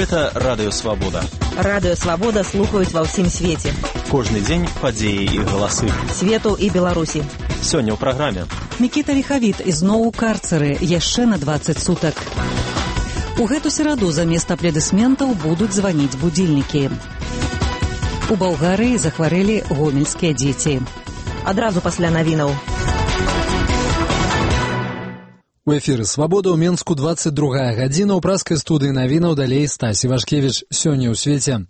Гэта Радыё Свабода. Радыё Свабода слухаюць ва ўсім свеце. Кожны дзень падзеі і галасы. Свету і Беларусі. Сёння ў праграме. Мікіта Ліхавіт ізноў у карцеры яшчэ на 20 сутак. У гэту сераду замест аплодысментаў будуць званіць будзільнікі. У Балгарыі захварэлі гомельскія дзеці. Адразу пасля навінаў. У эфіры «Свабода» ў Менску 22 гадзіна. У праскай студыі навінаў далей Стась Івашкевіч. Сёння ў свеце.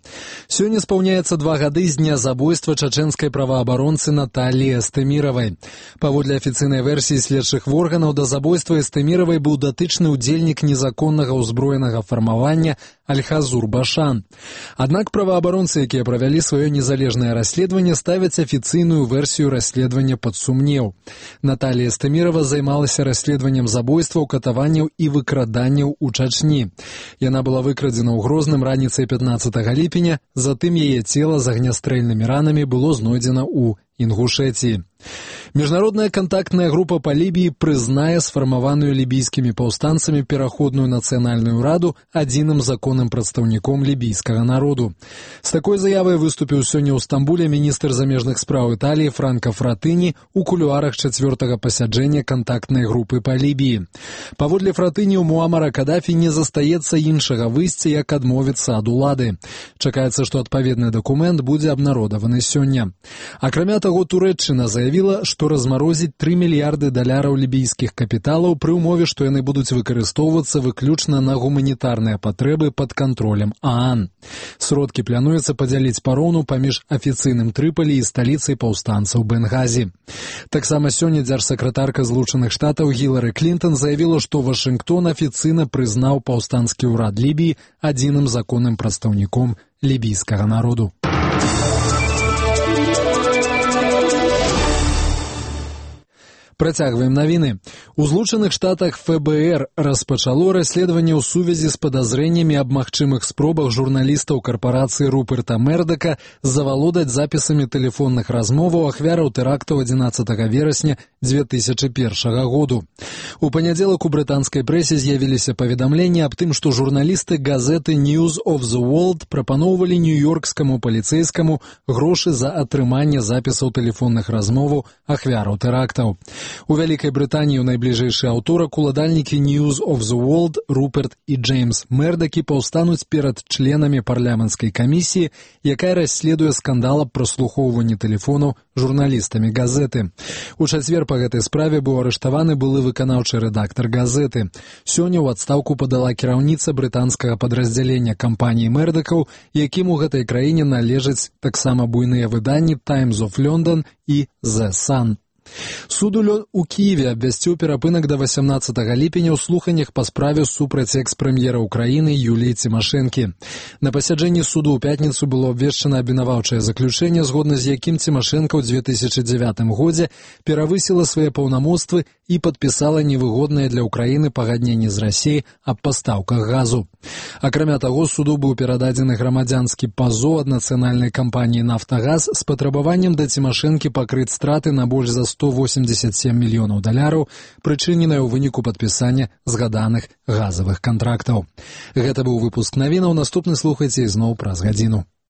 Сёння спаўняецца 2 гады з дня забойства чачэнскай праваабаронцы Наталіі Эстэміравай. Паводле афіцыйнай версіі следчых органаў, да забойства Эстэміравай быў датычны ўдзельнік незаконнага ўзброенага фармавання Аль-Хазур Башан. Аднак праваабаронцы, якія правялі сваё незалежнае расследаванне, ставяць афіцыйную версію расследавання пад сумнеў. Наталія Эстэмірава займалася расследаваннем забойстваў, катаванняў і выкраданняў у Чачні. Яна была выкрадзена ў Грозным раніцай 15 ліпеня, затым яе цела з агнястрэльнымі ранамі было знойдзена ў Інгушэтіі. Міжнародная кантактная група па Лібіі прызнае сфармаваную лібійскімі паўстанцамі пераходную нацыянальную раду адзіным законным прадстаўніком лібійскага народу. З такой заявай выступіў сёння ў Стамбуле міністр замежных спраў Італіі Франка Фратыні ў кулуарах 4-го пасяджэння кантактнай групы па Лібіі. Паводле Фратыні, у Муамара Кадафі не застаецца іншага выйсця, як адмовіцца ад улады. Чакаецца, што адпаведны дакумент будзе абнародаваны сёння. Акрамя таго, Турэччына заявіла, што размарозіць $3 мільярды лібійскіх капіталаў пры ўмове, што яны будуць выкарыстоўвацца выключна на гуманітарныя патрэбы пад кантролем ААН. Сродкі плануецца падзяліць пароўну паміж афіцыйным Трыполі і сталіцай паўстанцаў Бенгазі. Таксама сёння дзяржсакратарка Злучаных Штатаў Гілары Клінтон заявіла, што Вашынгтон афіцыйна прызнаў паўстанскі ўрад Лібіі адзіным законным прадстаўніком лібійскага народу. Працягваем навіны. У Злучаных Штатах ФБР распачало расследаванне ў сувязі з падазрэннямі аб магчымых спробах журналістаў карпорацыі Руперта Мердака завалодаць запісамі тэлефонных размоваў ахвяраў тэрактаў 11 верасня 2001 году. У панядзелак у брытанскай прэсе з'явіліся паведамленні аб тым, што журналісты газеты News of the World прапаноўвалі нью-йоркскаму паліцэйскаму грошы за атрыманне запісаў тэлефонных размоваў ахвяраў тэрактаў. У Вялікай Брытаніі ў найбліжэйшы аўторак уладальнікі News of the World Руперт і Джеймс Мердакі паўстануць перад членамі парламенцкай камісіі, якая расследуе скандал аб праслухоўванні тэлефонаў журналістамі газеты. У чацвер па гэтай справе быў арыштаваны былы выканаўчы рэдактар газеты. Сёння ў адстаўку падала кіраўніца брытанскага падраздзялення кампаніі Мердакаў, якім у гэтай краіне належаць таксама буйныя выданні Times of London і The Sun. Суд у Киеве абвясціў перапынак да 18 ліпеня ў слуханнях па справе супраць экс-прэм'ера Украіны Юліі Цімашэнкі. На пасяджэнні суду ў пятніцу было абвешчана абвінаваўчае заключэнне, згодна з якім Цімашэнка ў 2009 годзе перавысіла свае паўнамоцтвы і падпісала невыгоднае для Украіны пагадненне з Расіяй аб пастаўках газу. Акрамя таго, суду быў перададзены грамадзянскі пазоў ад нацыянальнай кампаніі «Нафтагаз» з патрабаваннем да Цімашэнкі пакрыць страты на больш за $187 мільёнаў, прычыненыя ў выніку падпісання згаданых газавых кантрактаў. Гэта быў выпуск навінаў. Наступны слухайце ізноў праз гадзіну.